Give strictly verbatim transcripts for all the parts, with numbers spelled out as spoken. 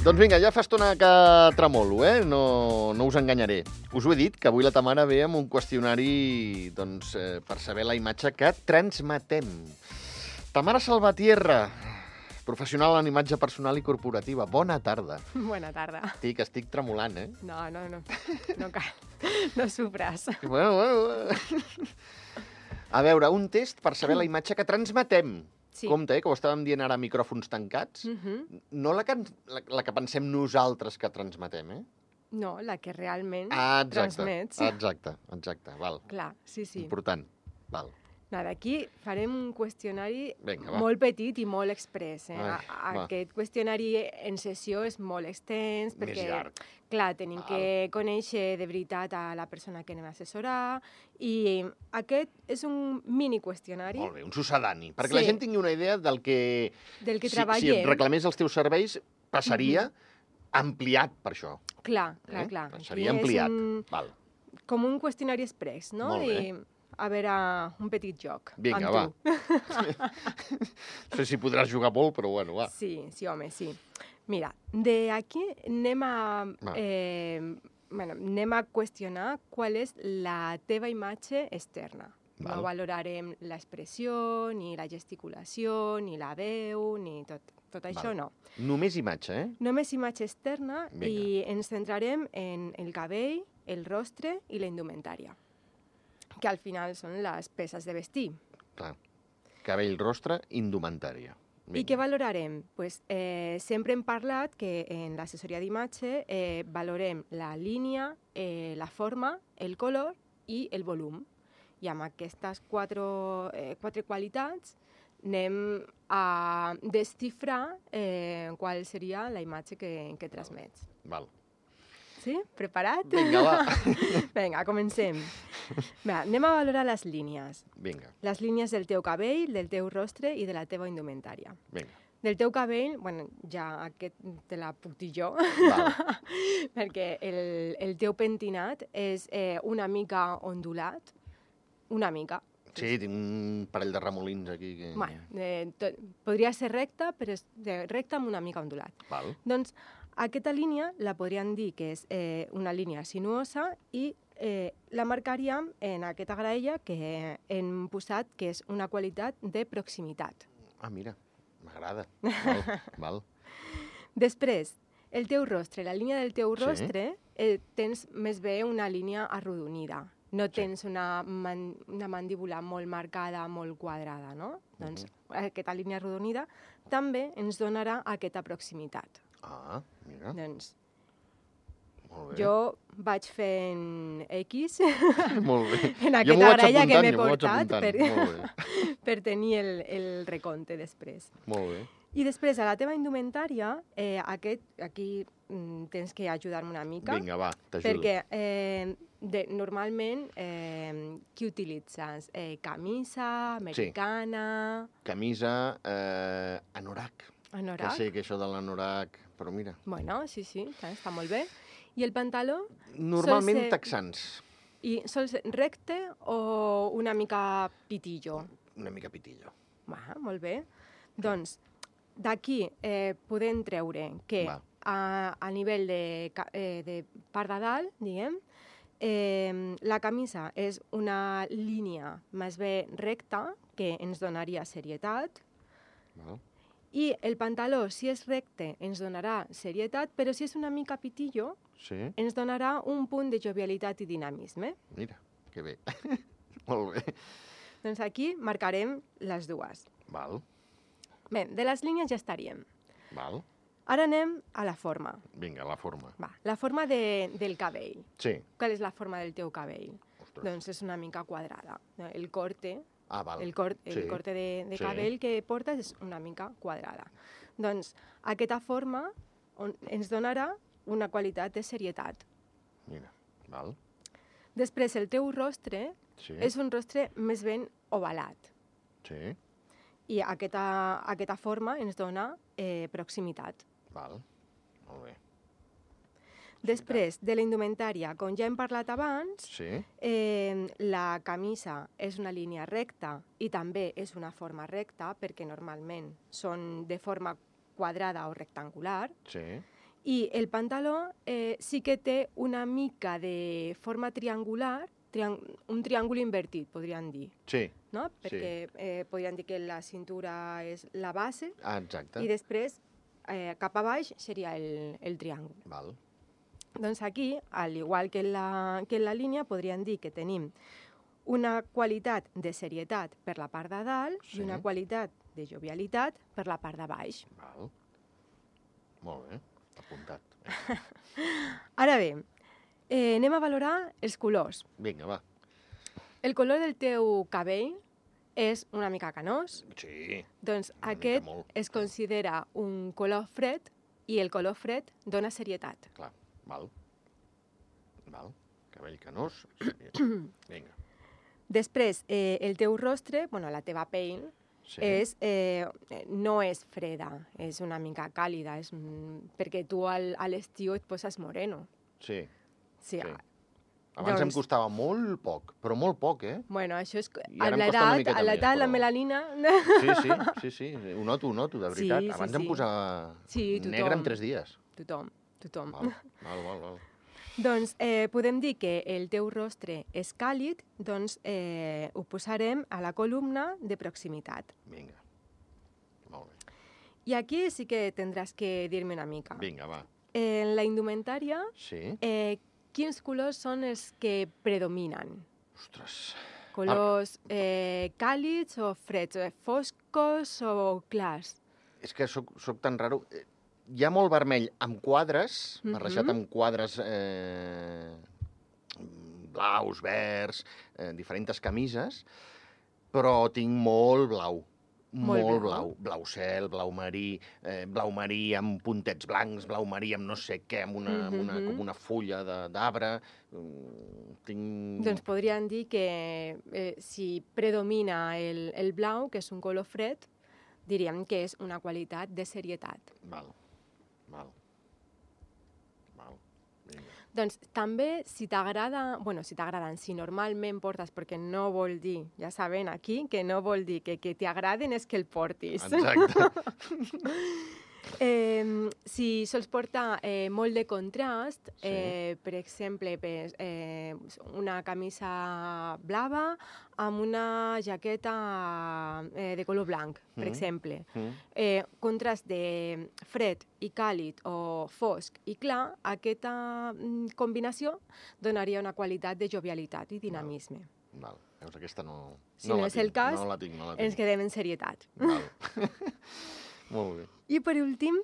Doncs vinga, ja fa estona que tremolo, eh? No, no us enganyaré. Us ho he dit, que avui la Tamara ve amb un qüestionari doncs, eh, per saber la imatge que transmetem. Tamara Salvatierra, professional en imatge personal i corporativa. Bona tarda. Bona tarda. Estic, estic tremolant, eh? No, no, no. No cal. No sofres. Bueno, bueno. A veure, un test per saber la imatge que transmetem. Sí. Compte, eh, que ho estàvem dient ara a micròfons tancats. Uh-huh. No la que, la, la que pensem nosaltres que transmetem, eh? No, la que realment Ah, exacte, transmets. exacte, exacte, val. Clar, sí, sí. Important, val. Nada, aquí farem un qüestionari Vinga, va. molt petit i molt express. Eh? Ai, A- va. Aquest qüestionari en sessió és molt extens perquè, Més llarg. clar, tenim Val. que conèixer de veritat a la persona que anem a assessorar i aquest és un mini qüestionari Molt bé, un sucedani. Perquè Sí. la gent tingui una idea del que... del que si, si treballem. et reclamés els teus serveis, passaria ampliat per això. Clar, clar, Eh? clar. Seria Aquí és ampliat. un- Val. Com un qüestionari express, no? Molt bé. I a veure, un petit joc Vinga, amb va. tu. No sé si podràs jugar molt, però bueno, va. Sí, sí, home, sí. Mira, de aquí anem a, Va. eh, bueno, anem a qüestionar qual és la teva imatge externa. Val. No valorarem l'expressió, ni la gesticulació, ni la veu, ni tot, tot això, Val. no. Només imatge, eh? Només imatge externa Vinga. i ens centrarem en el cabell, el rostre i la indumentària, que al final són les peces de vestir. Clar. Cabell, rostre, indumentària. I què valorarem? Pues, eh, sempre hem parlat que en l'assessoria d'imatge eh, valorem la línia, eh, la forma, el color i el volum. I amb aquestes quatre, eh, quatre qualitats anem a desxifrar eh, qual seria la imatge que, que transmets. Val. Sí? Preparat? Vinga, va. Vinga, comencem. Va, anem a valorar les línies. Vinga, Les línies del teu cabell, del teu rostre i de la teva indumentària. vinga. Del teu cabell, bueno, ja aquest te la puc dir jo, Val. perquè el, el teu pentinat és eh, una mica ondulat, una mica. Sí, tinc un parell de remolins aquí. Que... Bueno, eh, tot, podria ser recta, però és de, recta amb una mica ondulat. Val. Doncs aquesta línia la podríem dir que és eh, una línia sinuosa i eh, la marcaríem en aquesta graella que hem posat que és una qualitat de proximitat. Ah, mira, m'agrada. Val, val. Després, el teu rostre, la línia del teu Sí. rostre, eh, tens més bé una línia arrodonida. No Sí. tens una, man, una mandíbula molt marcada, molt quadrada, no? Doncs aquesta línia arrodonida també ens donarà aquesta proximitat. Ah, mira, Doncs molt bé. jo vaig fent X Molt bé. en Jo m'ho aquesta vaig graella que apuntant, m'he jo m'ho vaig portat apuntant. per, Molt bé, per tenir el, el recompte després. molt bé. I després, a la teva indumentària, eh, aquest, aquí mm, tens que ajudar-me una mica. Vinga, va, t'ajudo. Perquè eh, de, normalment, eh, què utilitzes? Eh, camisa, americana, Camisa, eh, anorac. anorac? Que sé que això de l'anorac... Però mira, Bueno, sí, sí, està, està molt bé. I el pantaló? normalment ser- texans. I sol ser recte o una mica pitillo? Una mica pitillo. Va, molt bé. Doncs, d'aquí eh, podem treure que Va. a, a nivell de, ca- eh, de part de dalt, diguem, eh, la camisa és una línia més bé recta que ens donaria serietat Val? i el pantaló, si és recte, ens donarà serietat, però si és una mica pitillo, Sí, ens donarà un punt de jovialitat i dinamisme. mira, que bé. Molt bé. Doncs aquí marcarem les dues. Val, Bé, de les línies ja estaríem. val. Ara anem a la forma. Vinga, la forma. Va, la forma de, del cabell. Sí. Qual és la forma del teu cabell? Ostres. Doncs és una mica quadrada. El corte, Ah, val. el, cor, el Sí. corte de, de Sí. cabell que portes és una mica quadrada. Doncs aquesta forma on, ens donarà una qualitat de serietat. Mira, val. Després, el teu rostre Sí, és un rostre més ben ovalat. sí, I aquesta, aquesta forma ens dona eh, proximitat. val. Molt bé. Després, de la indumentària, com ja hem parlat abans, Sí, eh, la camisa és una línia recta i també és una forma recta, perquè normalment són de forma quadrada o rectangular, sí. I el pantaló eh, sí que té una mica de forma triangular, triang un triàngul invertit, podríem dir. Sí. No? Sí. Perquè eh, podríem dir que la cintura és la base Ah, exacte. i després eh, cap a baix seria el, el triàngul. Val. Doncs aquí, al igual que en la, que en la línia, podríem dir que tenim una qualitat de serietat per la part de dalt Sí. i una qualitat de jovialitat per la part de baix. Val. Molt bé, apuntat. Ara bé, eh, anem a valorar els colors. Vinga, va. El color del teu cabell és una mica canós, Sí. doncs Una mica aquest molt, es sí. considera un color fred i el color fred dona serietat. Clar, val. Val. Cabell canós. Vinga. Després, eh, el teu rostre, bueno, la teva pell, Sí. és, eh, no és freda, és una mica càlida, és, mm, perquè tu al, a l'estiu et poses moreno. Sí. Sí, Sí. ah, Abans em Doncs- costava molt poc, però molt poc, eh? bueno, això és... I A ara em costa una l'edat, miqueta a l'edat, més, la però- melanina... Sí, sí, sí, sí. Ho noto, ho noto, de veritat. Sí, sí, Abans sí. em posava Sí, tothom. negre en tres dies. Tothom, tothom. Val, val, val. val. Doncs eh, podem dir que el teu rostre és càlid, doncs eh, ho posarem a la columna de proximitat. Vinga. Molt bé. I aquí sí que tindràs que dir-me una mica. Vinga, va. En la indumentària, Sí? eh, quins colors són els que predominen? Ostres. Colors eh, càlids o freds, eh, foscos o clars? És que soc, soc tan raro. Eh, Hi ha molt vermell amb quadres, Mhm. barrejat amb quadres eh, blaus, verds, eh, diferents camises, però tinc molt blau. Molt Molt, blau. blau. Blau cel, blau marí, eh, blau marí amb puntets blancs, blau marí amb no sé què, amb una, amb una, Mhm. com una fulla de- d'arbre. Mm, tinc... Doncs podríem dir que eh, si predomina el, el blau, que és un color fred, diríem que és una qualitat de serietat. Val, val. Val, vinga. Doncs també, si t'agrada, bueno, si t'agraden, si normalment portes, perquè no vol dir, ja saben aquí, que no vol dir que, que t'agraden és que el portis. Exacte. Eh, si sols portar eh, molt de contrast, Sí. eh, per exemple, per, eh, una camisa blava amb una jaqueta eh, de color blanc, per Mm. exemple. Mm. Eh, contrast de fred i càlid o fosc i clar, aquesta mm, combinació donaria una qualitat de jovialitat i dinamisme. Val. Veus, aquesta no... Si no la és el tinc, cas, no la tinc, no la tinc. Ens quedem en serietat. Val. Molt bé. I per últim,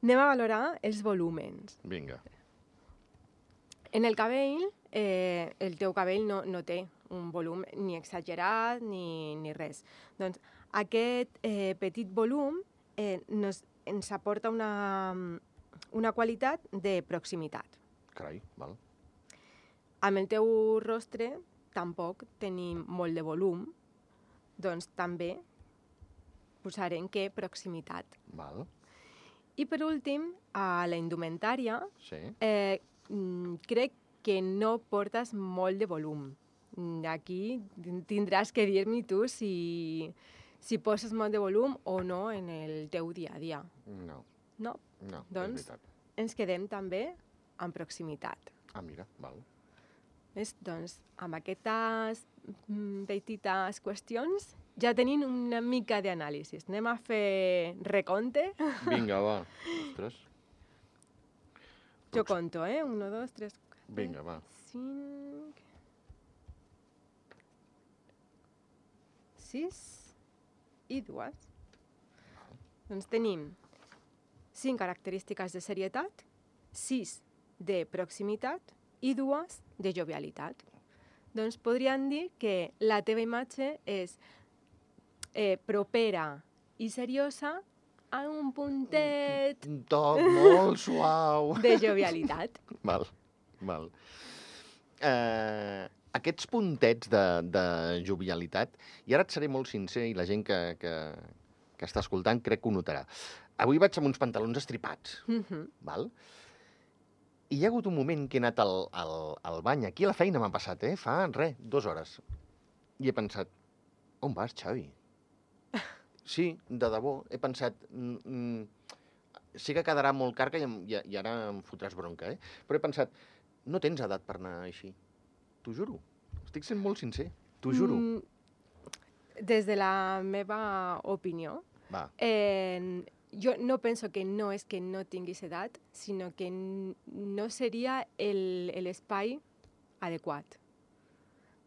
anem a valorar els volúmens. Vinga. En el cabell, eh, el teu cabell no, no té un volum ni exagerat ni, ni res. Doncs aquest eh, petit volum eh, nos, ens aporta una, una qualitat de proximitat. Carai, val. Amb el teu rostre tampoc tenim molt de volum, doncs també posarem que proximitat. Val. I per últim, a la indumentària, Sí. Eh, mm, crec que no portes molt de volum. Mm, Aquí tindràs que dir-me tu si, si poses molt de volum o no en el teu dia a dia. No, No? no, Doncs- és veritat. Ens quedem també amb proximitat. Ah, mira, val. Ves? Doncs amb aquestes mm, petites qüestions ja tenim una mica d'anàlisi. Anem a fer recompte. Vinga, va. Ostres. Jo conto, eh? Un, dos, tres, quatre, Vinga, va. cinc, sis i dues. Doncs tenim cinc característiques de serietat, sis de proximitat i dues de jovialitat. Doncs podríem dir que la teva imatge és eh, propera i seriosa a un puntet Un toc molt suau. de jovialitat. Val, val. Eh, aquests puntets de, de jovialitat, i ara et seré molt sincer, i la gent que, que, que està escoltant crec que ho notarà. Avui vaig amb uns pantalons estripats, Mhm. val? I hi ha hagut un moment que he anat al, al, al bany, aquí a la feina m'ha passat, eh? Fa, res, dues hores. I he pensat, on vas, Xavi? Sí, de debò, he pensat, mm, mm, sé que quedarà molt carca i, em- i, i ara em fotràs bronca, eh? Però he pensat, no tens edat per anar així. T'ho juro. Estic sent molt sincer. T'ho juro. Mm, des de la meva opinió, Va. eh, jo no penso que no és que no tinguis edat, sinó que n- no seria el- l'espai adequat.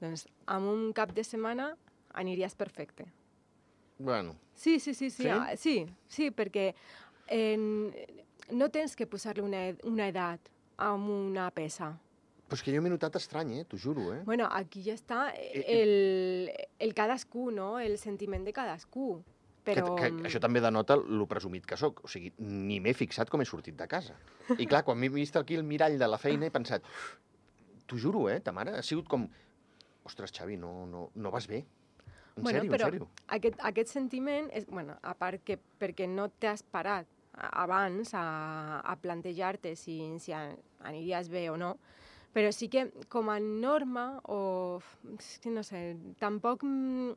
Doncs amb un cap de setmana aniries perfecte. Bueno, Sí, sí, sí, sí, Sí? ah, sí, sí, perquè eh, no tens que posar-li una, ed- una edat a una peça. però és que jo m'he notat estrany, eh? T'ho juro, eh? Bueno, aquí ja està Eh, el, el cadascú, no? El sentiment de cadascú. Però... Que, que això també denota lo presumit que sóc. O sigui, ni m'he fixat com he sortit de casa. I clar, quan m'he vist aquí el mirall de la feina he pensat, t'ho juro, eh, ta mare ha sigut com... Ostres, Xavi, no, no, no vas bé. En bueno, sèrio, però en sèrio. Aquest, aquest sentiment, és, bueno, a part que perquè no t'has parat a- abans a, a plantejar-te si, si a- aniries bé o no, però sí que com a norma, o és que no sé, tampoc mm,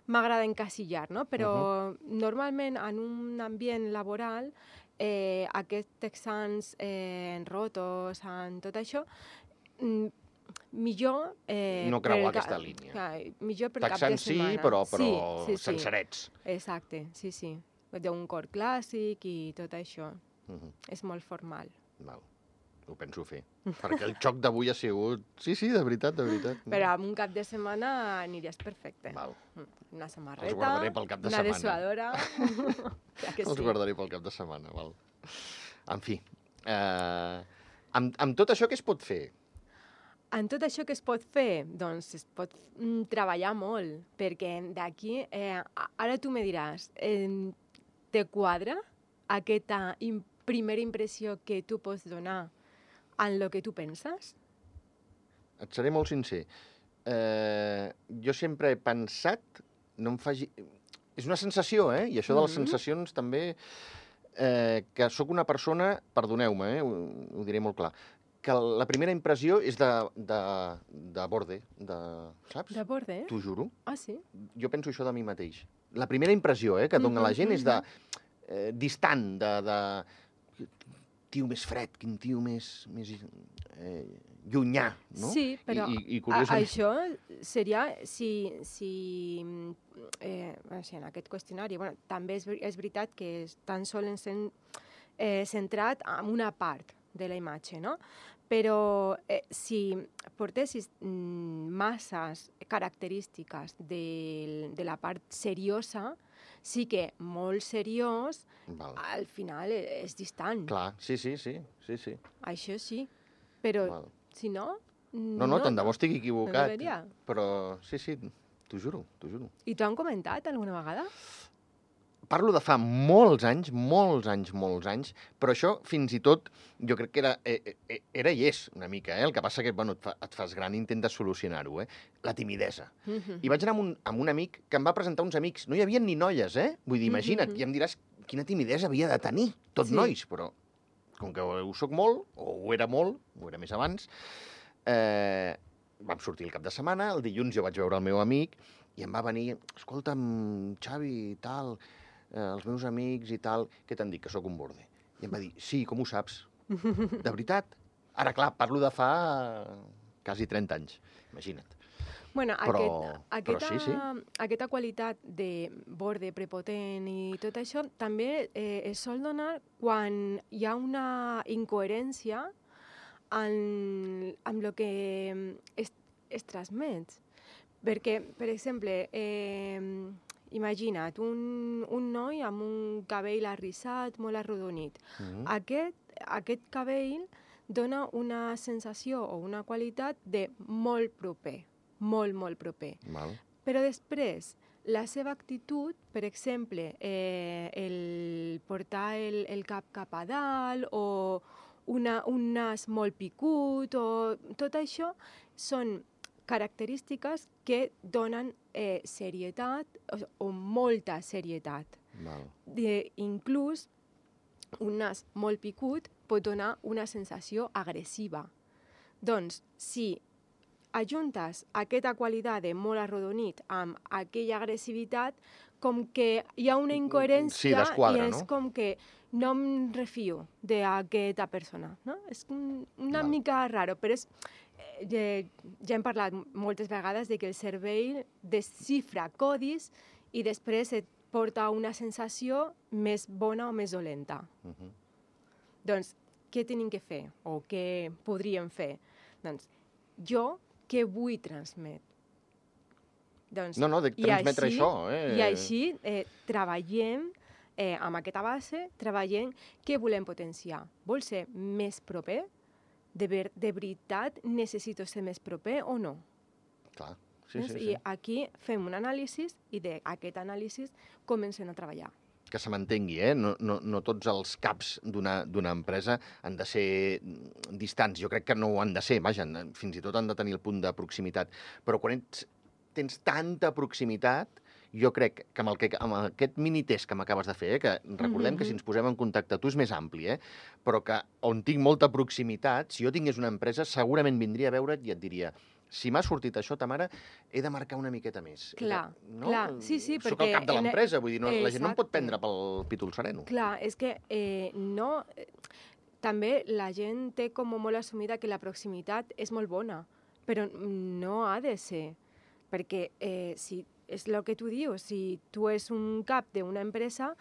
m'agrada encasillar, no? Però uh -huh. normalment en un ambient laboral eh, aquests exams eh, en rotos, en tot això, mm, millor... Eh, No per creuar el ca- aquesta línia. Clar, millor per cap de Taxant sí, setmana. però, però sí, sí, sí. sencerets. Exacte, sí, sí. D'un cor clàssic i tot això. Uh -huh. És molt formal. Val. Ho penso fer. Perquè el xoc d'avui ha sigut... Sí, sí, de veritat, de veritat. Però amb un cap de setmana aniries perfecte. Val. Una samarreta, Els guardaré pel cap de una setmana. dessuadora... ja que Els sí. guardaré pel cap de setmana, val. En fi, eh, amb, amb tot això què es pot fer? En tot això que es pot fer? Doncs es pot mm, treballar molt, perquè d'aquí... Eh, a- ara tu me diràs, eh, te quadra aquesta im primera impressió que tu pots donar en lo que tu penses? Et seré molt sincer. Eh, jo sempre he pensat, no em faci... És una sensació, eh? I això de les Mhm. sensacions també... Eh, que sóc una persona, perdoneu-me, eh? Ho, ho diré molt clar, que la primera impressió és de, de, de borde, de, saps? De borde? T'ho juro. Ah, sí? Jo penso això de mi mateix. La primera impressió eh, que dona Mhm, la gent és de eh, distant, de, de tio més fred, quin tio més, més eh, llunyà, no? Sí, però I, i, i a, curiosament... això seria si, si eh, o sigui, en aquest qüestionari, bueno, també és, ver- és veritat que és tan sols en, eh, centrat en una part de la imatge, no? Però eh, si portessis mm, masses característiques de, de la part seriosa, sí que molt seriós, Val. al final eh, és distant. Clar, sí, sí, sí, sí, sí. Això sí, però Val. si no... No, no, tant de bo estigui equivocat. deberia. Però sí, sí, t'ho juro, t'ho juro. I t'ho han comentat alguna vegada? Parlo de fa molts anys, molts anys, molts anys, però això fins i tot jo crec que era, eh, eh, era i és una mica, eh? El que passa que bueno, et, fa, et fas gran i intentes solucionar-ho, eh? La timidesa. Mhm. I vaig anar amb un, amb un amic que em va presentar uns amics. No hi havia ni noies, eh? Vull dir, imagina't, Mhm. ja em diràs quina timidesa havia de tenir, tot Sí. nois, però com que ho soc molt, o ho era molt, ho era més abans, eh, vam sortir el cap de setmana, el dilluns jo vaig veure el meu amic i em va venir, escolta'm, Xavi, i tal, eh, els meus amics i tal, què t'han dit, que sóc un borde? I em va dir, sí, com ho saps? De veritat? Ara, clar, parlo de fa quasi trenta anys, imagina't. Bueno, Però- aquest, però aquesta, sí, sí. aquesta qualitat de borde prepotent i tot això també eh, es sol donar quan hi ha una incoherència en, amb el que es, es transmet. Perquè, per exemple, eh, imagina't un, un noi amb un cabell arrissat, molt arrodonit. Mm. Aquest, aquest cabell dona una sensació o una qualitat de molt proper, molt, molt proper. Val. Però després, la seva actitud, per exemple, eh, el portar el, el cap cap a dalt o una, un nas molt picut o tot això són característiques que donen eh, serietat o, o molta serietat. Val. De, inclús un nas molt picut pot donar una sensació agressiva. Doncs, si ajuntes aquesta qualitat de molt arrodonit amb aquella agressivitat, com que hi ha una incoherència Sí, desquadra, i és no? com que no em refio d'aquesta persona, no? És un- una Val. mica raro, però és, eh, ja, ja hem parlat moltes vegades de que el cervell desxifra codis i després et porta una sensació més bona o més dolenta. Uh -huh. Doncs, què tenim que fer? O què podríem fer? Doncs, jo què vull transmetre? Doncs, No, no, de i transmetre així- això, eh? I així eh, treballem eh, amb aquesta base, treballem què volem potenciar. Vol ser més proper? De, ver, de veritat necessito ser més proper o no? Clar, sí, Doncs, sí, I sí. aquí fem un anàlisi i d'aquest anàlisi comencem a treballar. Que se m'entengui, eh? No, no, no tots els caps d'una d'una empresa han de ser mm, distants. Jo crec que no ho han de ser, vaja, han- fins i tot han de tenir el punt de proximitat. Però quan ets, tens tanta proximitat, jo crec que amb, el que, amb aquest minitest que m'acabes de fer, eh, que recordem Mhm. que si ens posem en contacte, tu és més ampli, eh? Però que on tinc molta proximitat, si jo tingués una empresa, segurament vindria a veure't i et diria si m'ha sortit això, ta mare, he de marcar una miqueta més. He de- Clar, no? clar, sí, sí, Soc el perquè cap de en- l'empresa, vull dir, no, la gent no em pot Exacte. prendre pel pítol sereno. Clar, és que eh, no... eh, També la gent té com molt assumida que la proximitat és molt bona, però no ha de ser. Perquè eh, si és el que tu dius, si tu és un cap d'una empresa,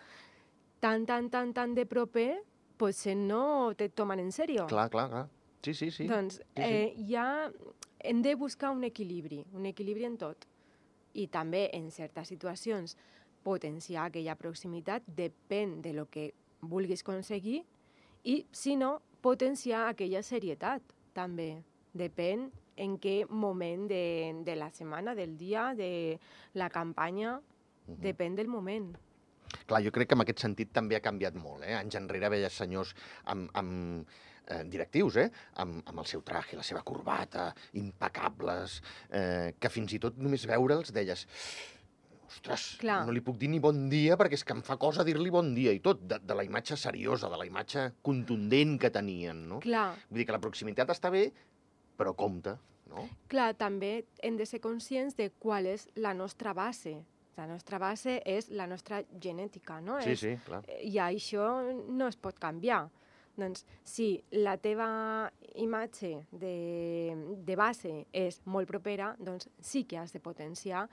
tan, tan, tan, tan de proper, potser no te tomen en sèrio. Clar, clar, clar. Sí, sí, sí. Doncs sí. eh, ja hem de buscar un equilibri, un equilibri en tot. I també en certes situacions potenciar aquella proximitat depèn de lo que vulguis aconseguir i, si no, potenciar aquella serietat també. Depèn en què moment de, de la setmana, del dia, de la campanya, Mhm. depèn del moment. Clar, jo crec que en aquest sentit també ha canviat molt. Eh? Anys enrere veies senyors amb, amb eh, directius, eh? amb, amb el seu traje, la seva corbata, impecables, eh, que fins i tot només veure'ls deies ostres, Clar. no li puc dir ni bon dia perquè és que em fa cosa dir-li bon dia i tot, de, de la imatge seriosa, de la imatge contundent que tenien, no? Clar, Vull dir que la proximitat està bé, però compte, no? Clar, també hem de ser conscients de qual és la nostra base. La nostra base és la nostra genètica, no? Sí, és, sí, clar. I això no es pot canviar. Doncs si la teva imatge de, de base és molt propera, doncs sí que has de potenciar,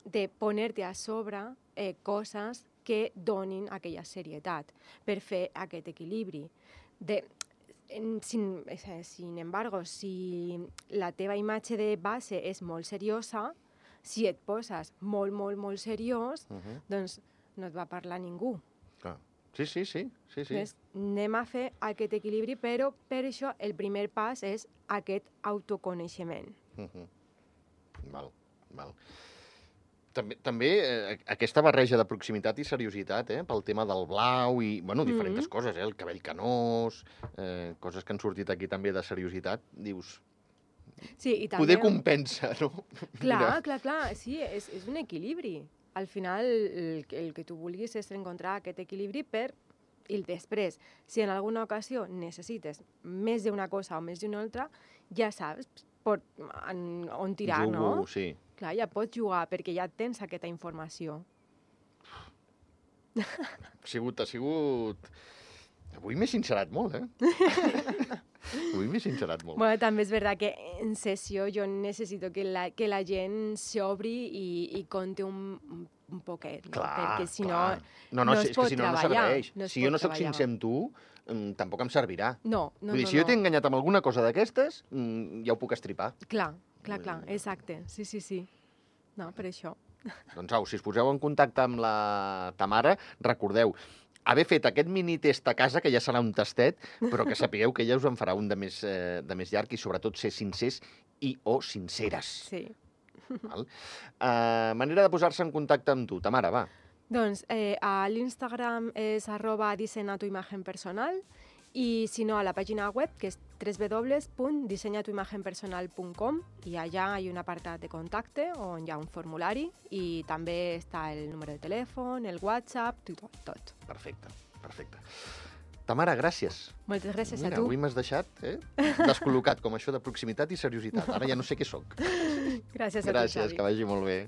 de poner-te a sobre eh, coses que donin aquella serietat per fer aquest equilibri. De, en, sin, eh, sin embargo, si la teva imatge de base és molt seriosa, si et poses molt, molt, molt seriós, Uh -huh. doncs no et va parlar ningú. Clar. Sí, sí, sí. sí, sí. Doncs anem a fer aquest equilibri, però per això el primer pas és aquest autoconeixement. Uh -huh. Val, val. També, també eh, aquesta barreja de proximitat i seriositat, eh, pel tema del blau i, bueno, diferents Mhm. coses, eh, el cabell canós, eh, coses que han sortit aquí també de seriositat, dius, Sí, i també... poder compensa, no? Clar, Mira. clar, clar, sí, és, és un equilibri. Al final, el, el que tu vulguis és encontrar aquest equilibri per... I després, si en alguna ocasió necessites més d'una cosa o més d'una altra, ja saps pot, en, on tirar, Jugo, no? sí. Clar, ja pots jugar perquè ja tens aquesta informació. Ha sigut, ha sigut... Avui m'he sincerat molt, eh? Avui m'he sincerat molt. Bueno, també és veritat que en sessió jo necessito que la, que la gent s'obri i, i conti un, un poquet, no? Clar, perquè si clar. no, no, no, no si, es és que pot si no, no treballar, serveix. no es si pot jo no sóc treballar. sincer amb tu, mm, tampoc em servirà. No, no, Vull dir, no, si jo no. t'he enganyat amb alguna cosa d'aquestes, mm, ja ho puc estripar. Clar, clar, Vull clar, dir- exacte, sí, sí, sí. No, per això. Doncs au, si us poseu en contacte amb la Tamara, recordeu, haver fet aquest mini test a casa, que ja serà un tastet, però que sapigueu que ella us en farà un de més, eh, de més llarg i sobretot ser sincers i o sinceres. Sí. Val? Uh, manera de posar-se en contacte amb tu, Tamara, va. Doncs eh, a l'Instagram és arroba dissenya tu imagen personal i si no a la pàgina web que és w w w punt dissenya tu imagen personal punt com i allà hi ha un apartat de contacte on hi ha un formulari i també està el número de telèfon, el WhatsApp, tot. tot. Perfecte, perfecte. Tamara, gràcies. Moltes gràcies Mira, a tu. avui m'has deixat eh, descol·locat com això de proximitat i seriositat. Ara ja no sé què sóc. Gràcies a tu, Gràcies, Xavi. que vagi molt bé.